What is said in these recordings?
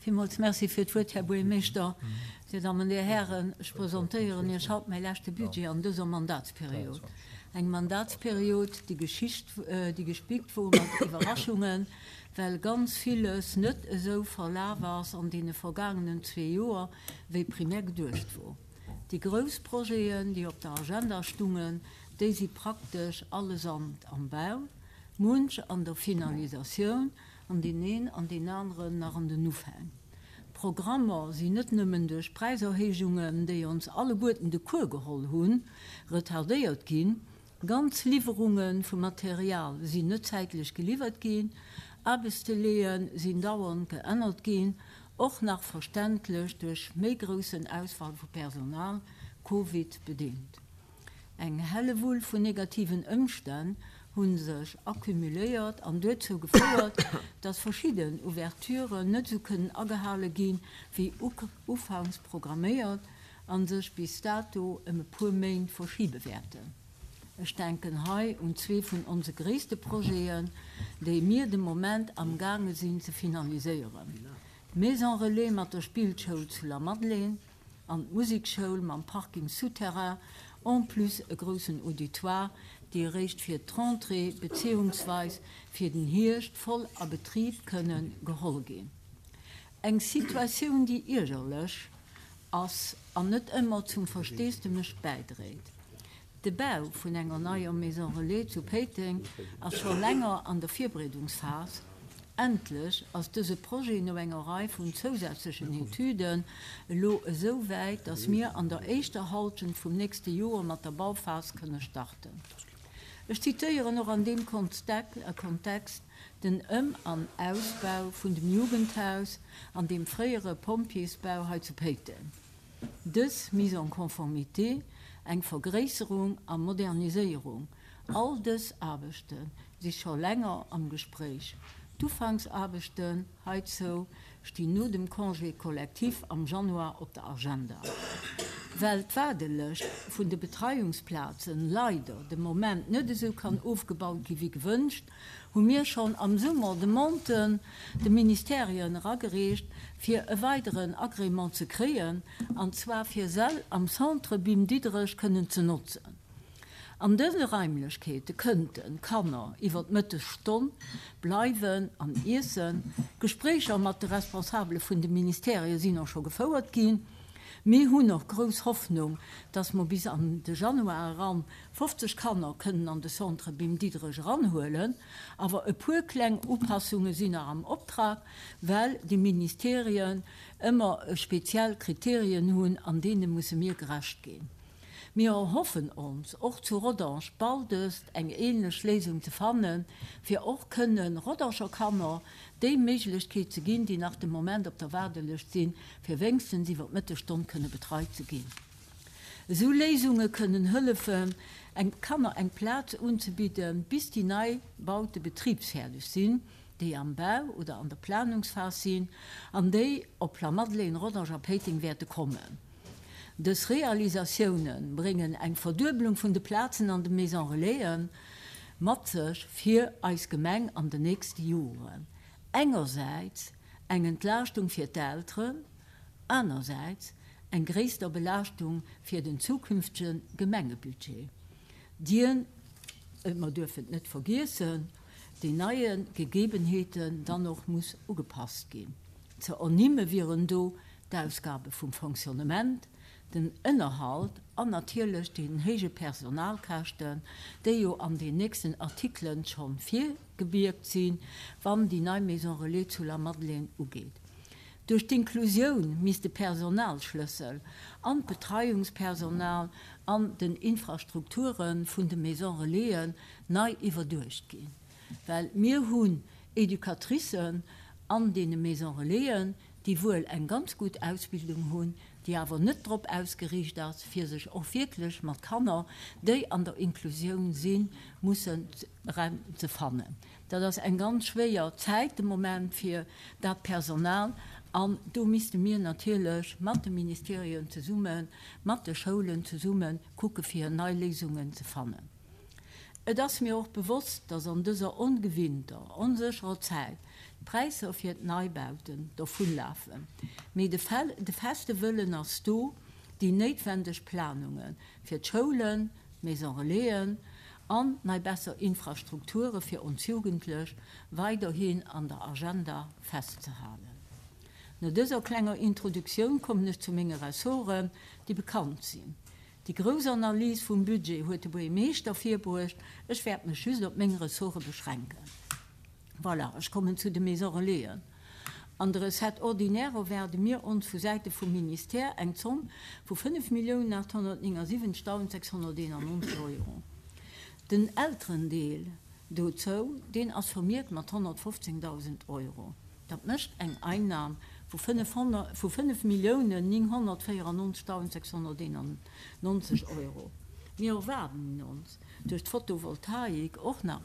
Villmools Merci fir d'Wuert, Här Buergermeeschter. Dir Dammen, Dir Hären, ech presentéieren Iech haut mäi leschte Budget an dëser Mandatsperiod. Eng Mandatsperiod, déi Geschicht, déi gespickt wor mat Iwwerraschungen, well ganz villes net esou verlaf ass an deene vergaangenen zwee Joer, wéi primär geduecht wor. Déi grouss Projeten, déi op der Agenda stungen, déi si praktesch allesamt am Bau, munch an der Finalisatioun an deen een an deen aneren nach an den Ufäng. D'Programmer sinn net nëmmen duerch Präiserhéijungen, déi ons alleguerten de Cours geholl hunn, retardéiert ginn, ganz Liwwerunge vu Material sinn net zäitlech geliwwert ginn, Aarbechtsdelaie sinn dauernd geännert ginn, och nach verständlech duerch méi groussen Ausfall vu Personal, Covid bedéngt. Eng Hellewull vun negativen Ëmstänn hu sech accumuléiert an duerzou gefouert, dass verschidden Ouverturen net esou kënnen agehale ginn, wéi ufanks programméiert a sech bis dato ëm e puer Méint verschibe wäerten. Ech denken hei un zwee vun onse gréisste Projeten, déi mir de Moment amgaange sinn ze finaliséieren, d'Maison Relais mat der Spillschoul zu Lamadelaine an d'Musekschoul mam Parking souterrain, en plus e groussen Auditoire, déi eréischt fir d'Rentrée beziehungsweis fir den Hierscht voll a Betrib kënnen geholl ginn. Eng Situatioun, déi iergerlech ass an net ëmmer zum Versteesdemech bäidréit. De Bau vun enger neier Maison Relais zu Péiteng ass scho länger an der Virbereedungsphas. Endlech ass dëse Projet no enger Rei vun zousätzlechen Etüden elo esou wäit, dass mir an der éischter Halschent vum nächste Joer mat der Bauphas kënne starten. Ech zitéieren och an deem Kontext den Ëm an Ausbau vun dem Jugendhaus an dem fréiere Pompjeesbau hei zu Péiteng. Dës Mise en conformité, eng Vergréisserung a Moderniséierung, all dës Aarbechte si scho länger am Gespréich. D'Ufanksaarbechten heizou stinn no dem Congé collectif am Januar op der Agenda. Well d'Waardelëscht vun de Betreiungsplazen leider de Moment net esou kann ofgebaut gi wéi gewënscht, hu mir schonn am Summer Demanden de Ministerien eragereecht, fir e weideren Agrément ze kréien, an zwar fir Säll am Centre Bim Diderech kënnen ze notzen. An dëse Raimlechkeete kënnten d'Kanner iwwer d'Mëttesstonn bleiwen an iessen. Gespréicher mat de Responsabele vun de Ministerie sinn och scho gefouert ginn. Mir hunn och grouss Hoffnung, dass mer bis an de Januar eran 50 Kanner kënnen an de Centre Bim Diderech eranhuelen, awer e puer kleng Upassunge sinn nach am Optrag, well déi Ministerien ëmmer speziell Kriterien hunn an deene musse mir gerecht ginn. Mir erhoffen ons, och zu Rodange baldest eng ähnlech Léisung ze fannen, fir och kënnen Rodanger Kanner déi Méiglechkeet ze ginn, déi nach de Moment op der Waardelëscht sinn, fir wéngstens iwwer d'Mëttesstonn kënne betreit ze ginn. Esou Léisunge kënnen hëllefen, eng Kanner eng Plaz unzebidden, bis déi nei Baute betribsfäerdeg sinn, déi am Bau oder an der Planungsphas sinn an déi op Lamadelaine, Rodange a Péiteng wäerte kommen. Dës Realisatioune bréngen eng Verduebelung vun de Plazen an de Maison Relaisen mat sech fir eis Gemeng an den nächste Joren. Engersäits eng Entlaaschtung fir d'Elteren, anersäits eng gréisster Belaaschtung fir den zukünftege Gemengebudget, dien, mer duerfen et net vergiessen, den neie Gegebenheeten dann och muss ugepasst ginn. Ze ernimme wieren do d'Ausgabe vum Fonctionnement, den Ënnerhalt an natierlech déi héije Personalkäschten, déi jo an den nächsten Artikelen schonn virgebiergt sinn, wann déi nei Maison Relais zu Lamadelaine ugeet. Duerch d'Inklusioun misst de Personalschlëssel an d'Betreiungspersonal an den Infrastrukture vun de Maison Relaisen nei iwwerduecht ginn, well mir hunn Educatricen an deene Maison Relaisen, déi wuel eng ganz gutt Ausbildung hunn, déi awer net drop ausgeriicht ass, fir sech och wierklech mat Kanner, déi an der Inklusioun sinn, mussen eremzefannen. Dat ass eng ganz schwéier Zäit de Moment fir dat Personal an do misste mir natierlech mat de Ministerien zesummen, mat de Schoulen zesumme kucke fir nei Léisungen ze fannen. Et ass mir och bewosst, dass an dëser ongewinnter, onsécherer Zäit. D'Präisser fir d'Neibauten dovunlafen, mee de feste Wëllen ass do, déi néitwendeg Planunge fir d'Schoulen, d'Maison Relaisen an nei besser Infrastrukture fir ons Jugendlech weiderhin an der Agenda festzehalen. No dëser klenger Introduktioun kommen ech zu menge Ressorten, déi bekannt sinn. Déi grouss Analys vum Budget huet de Buergermeeschter virbruecht, ech wäert mech just op meng Ressorte beschränken. Voilà, ech kommen zu de Maisons Relaisen. An de Recettes ordinaires erwaarde mir ons vu Säite vum Ministère eng Zomm vu 5.879.691 Euro. Den Elterendeel dozou, deen ass vermierkt mat 115.000 Euro. Dat mécht eng Einnam vu 5.994.691 Euro. Mir erwaarden ons duerch d'Photovoltaik och nach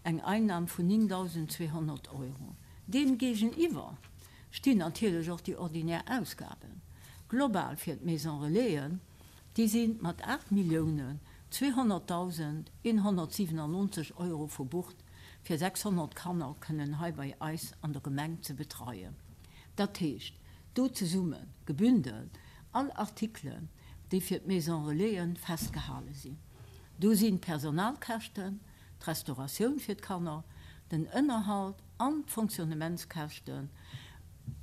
eng Einnam vun 9.200 Euro. Deem géigeniwwer stinn natierlech och déi ordinär Ausgaben. Global fir d'Maison Relaisen, déi si mat 8.200.197 Euro verbucht, fir 600 Kanner kënnen hei bei eis an der Gemeng ze betreien. Dat heescht, do zesumme gebündelt all Artikelen, déi fir d'Maison Relaisen festgehale sinn. Do sinn d'Personalkäschten, d'Restauratioun fir d'Kanner, den Ënnerhalt an d'Fonctionnementskäschten,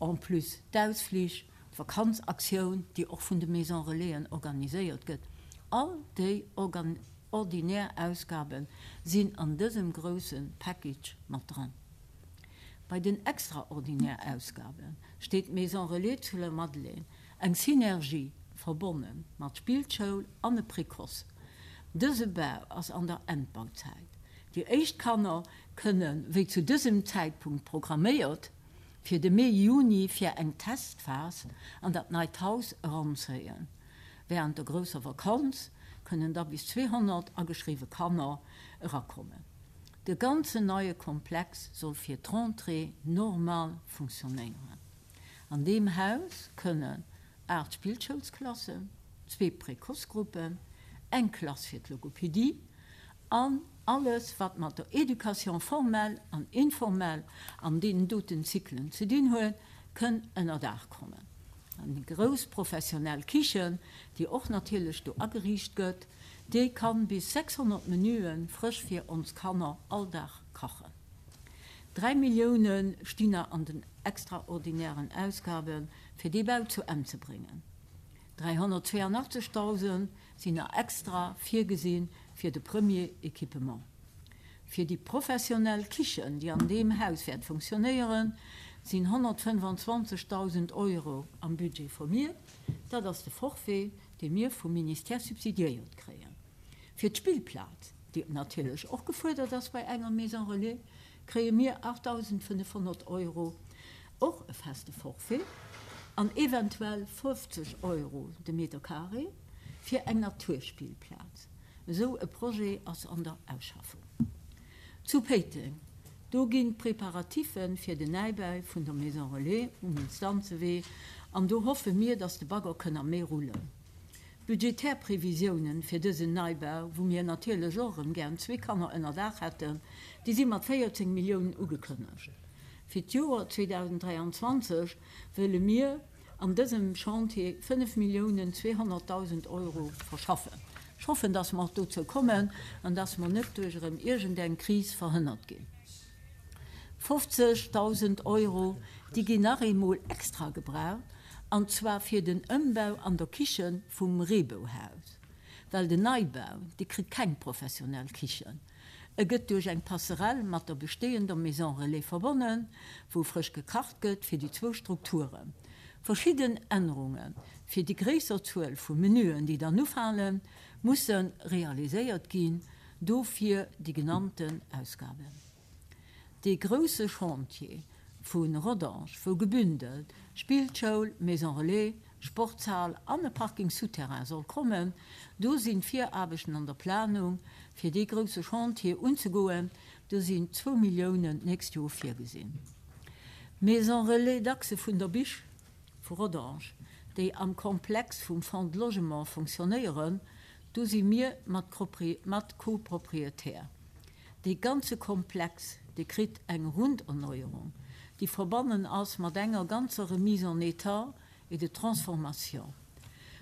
en plus d'Ausflich, d'Vakanzaktioun, déi och vun de Maisons Relaisen organiséiert gëtt, all déi ordinär Ausgabe sinn an dësem grousse Package mat dran. Bei den extraordinär Ausgabe steet d'Maison Relais zu Lamadelaine, eng Synergie verbonne mat Spillschoul an e Précoce. Dëse Bau ass an der Endbauzäit. Déi éischt Kanner kënne wéi zu dësem Zäitpunkt programméiert fir de Mee, Juni fir eng Testphas an dat neit Haus eranzéien. Wärend der grousser Vakanz kënnen da bis 200 ageschriwwe Kanner erakommen. De ganzen neie Komplex soll fir d'Rentrée normal funktionéieren. An deem Haus kënnen 8 Spillschoulsklassen, zwee Précoce-Gruppen, eng Klass fir d'Logopedie an alles wat mat der Éducation formelle an informelle an deenen doten Zyklen ze dinn huet, kënn ënner Daach kommen. An déi grouss professionell Kichen, déi och natierlech do ageriicht gëtt, déi kann bis 600 Menüe frësch fir ons Kanner all Dag kachen. 3 Millioune stinn nach an den extraordinären Ausgabe fir dee Bau zu Enn ze bréngen. 382.000 sinn nach extra virgesi fir de Premier Équipement. Fir déi professionell Kichen, déi an deem Haus wäert funktionéieren, sinn 125.000 Euro am Budget vermierkt. Dat ass de Forfait, dee mir vum Ministère subsidiéiert kréien. Fir d'Spillplaz, déi natierlech och gefuerdert ass bei enger Maison relais, kréie mir 8.500 Euro, och e feste Forfait, an eventuell 50 Euro de Meter carré fir eng Naturspillplaz. Esou e Projet ass an der Ausschaffung. Zu Péiteng, do ginn d'Préparatiffe fir den Näibau vun der Maison relais um Instanzewee an do hoffe mir, dass de Bagger kënn am Mee rullen. D'budgetär Previsiounen fir dësen Neibau, wou mir natierlech och erëm gären zwee Kanner ënner Daach hätten, déi si mat 14 Milliounen ugekënnegt. Fir d'Joer 2023 wëlle mir an dësem Chantier 5 Milliounen 200.000 Euro verschaffen. Ech hoffen, dass mer och dozou kommen an dass mer net duerch erëm iergendeng Kris verhënnert ginn. 50.000 Euro, déi ginn nach eemol extra gebraucht, an zwar fir den Ëmbau an der Kiche vum Reebouhaus. Well den Neibau, dee kritt keng professionell Kichen. E gëtt duerch eng Passerelle mat der bestehender Maison Relais verbonnen, wou frësch gekacht gëtt fir déi zwou Strukturen. Verschidden Ännerunge fir déi gréisser Zuel vu Menüen, déi dann ufalen, musse realiséiert ginn. Dofir déi genannten Ausgaben. Dee grousse Chantier vu Rodange, wou gebündelt Spillschoul, Maison Relais, Sportshal an e Parking souterrain soll kommen, do sinn d'Viraarbechten an der Planung fir dee grousse Chantier unzegoen. Do sinn zwou Milliounen d'nächst Joer virgesinn. D'Maison Relais Dachse vun der Bich vu Rodange, déi am Komplex vum Fonds de Logement fonctionnéieren, Do si mir mat Copropriétaire. Dee ganze Komplex, dee kritt eng Runderneuerung. déi verbonnen ass mat enger ganzer Remise en état et de transformation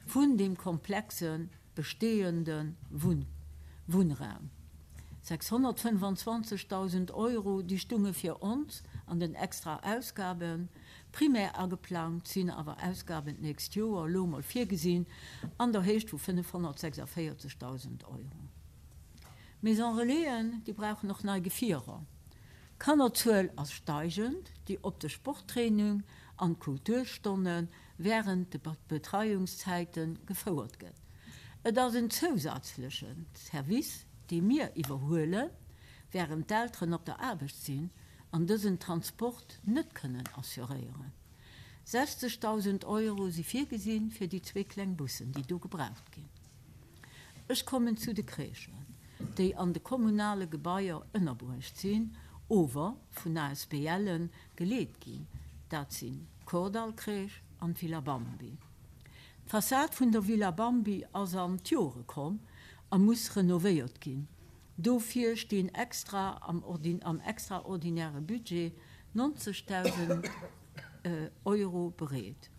vun deem komplexe bestehende Wunnraum. 625.000 Euro, déi stunge fir ons an den extra Ausgaben. Primär ageplangt sinn awer Ausgaben d'nächst Joer, elo emol virgesinn, an der Héicht vu 546.000 Euro. D'Maison Relaisen, déi brauchen och nei Gefierer. D'Kannerzuel ass steigend, déi op de Sporttraining an d'Kulturstonne wärend de Betreiungszäite gefouert gëtt. Et ass en zousätzleche Service, dee mir iwwerhuele wärend d'Elteren op der Aarbecht sinn an dësen Transport net kënnen assuréieren. 60.000 Euro si virgesinn fir déi zwee kleng Bussen, déi do gebraucht ginn. Ech kommen zu de Crèchen, déi an de kommunale Gebaier ënnerbruecht sinn, ower vun ASBLen geleet ginn, dat sinn d'Kordall-Crèche an d'Villa Bambi. D'Fassad vun der Villa Bambi ass an d'Jore komm a muss renovéiert ginn. Dofir stinn extra am am extraordinäre Budget 90.000 Euro bereet.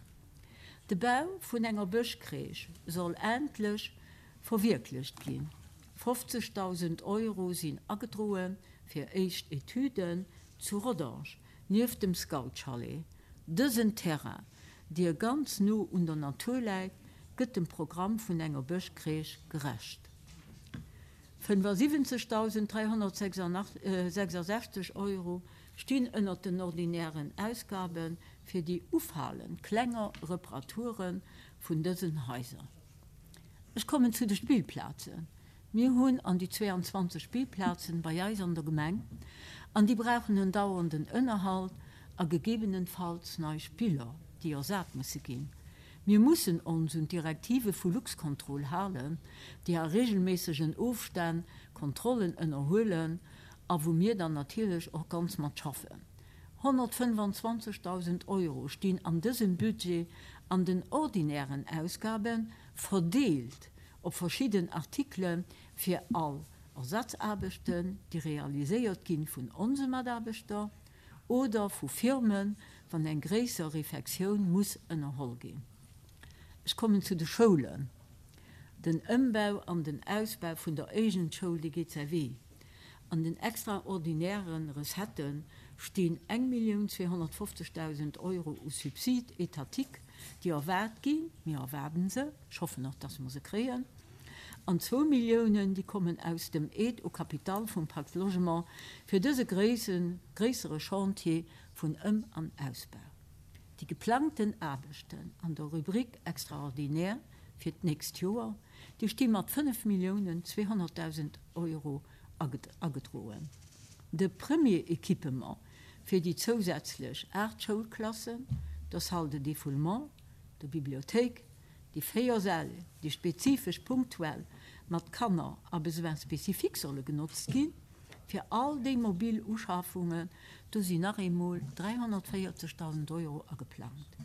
De Bau vun enger Bëschcrèche soll endlech verwierklecht ginn. 50.000 Euro sinn agedroe fir éischt Etüden zu Rodange nieft dem Scoutschalet. Dësen Terrain, dee ganz no un der Natur läit, gëtt dem Programm vun enger Bëschcrèche gerecht. 75.366 Euro stinn ënnert den ordinären Ausgabe fir déi ufalend klenger Reparature vun dësen Haiser. Ech kommen zu de Spillplazen. Mir hunn an déi 22 Spillplazen bei eis an der Gemeng an déi brauchen en dauernden Ënnerhalt a gegebenenfalls nei Spiller, déi ersat musse ginn. Mir mussen ons un d'Direktive vu Luxcontrol halen, déi a regelméissegen Ofstänn Kontrollen ënnerhuelen a wou mir dann natierlech och ganz mat schaffen. 125.000 Euro stinn an dësem Budget an den ordinären Ausgabe verdeelt op verschidden Artikele fir all Ersatzaarbechten, déi realiséiert gi vun onse Mataarbechter oder vu Firmen, wann eng gréisser Refektioun muss ënnerholl ginn. Ech kommen zu de Schoulen. Den Ëmbau an den Ausbau vun der Éigent-Schoul, dee geet säi Wee. An den extraordinäre Recettë stinn 1.250.000 Euro u Subside étatique, déi erwaart ginn. Mir erwaarden se, ech hoffen och, dass mer se kréien. An zwou Milliounen, déi kommen aus dem Aide au capital vum Pacte Logement fir dëse gréissere Chantier vun Ëm an Ausbau. Déi geplangten Aarbechten an der Rubrique extraordinaire fir d'nächst Joer, déi sti mat 5.200.000 Euro agedroen. De Premier Équipement fir déi zousätzlech 8 Schoulklassen, der Salle de défoulement, der Bibliothéik, déi 4 Säll, déi spezifesch punktuell mat Kanner a Besoins spécifiques solle genotzt ginn, fir all déi mobil Uschafungen, do sinn nach eemol 340.000 Euro ageplangt.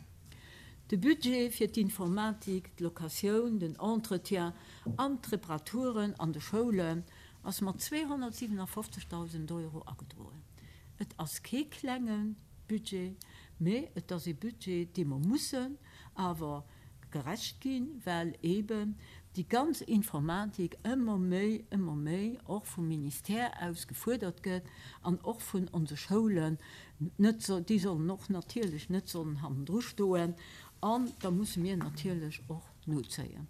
De Budget fir d'Informatik, d'Locatioun, den Entretien an d'Reparaturen an de Schoulen ass mat 257.000 Euro agedroen. Et ass kee klenge Budget, mee et ass ee Budget, dee mer mussen awer gerecht ginn, well eeben déi ganz Informatik ëmmer méi, ëmmer méi och vum Ministère aus gefuerdert gëtt an och vun onse Schoulen net, déi sollen och natierlech net sollen hannendru stoen an da musse mir natierlech och nozéien.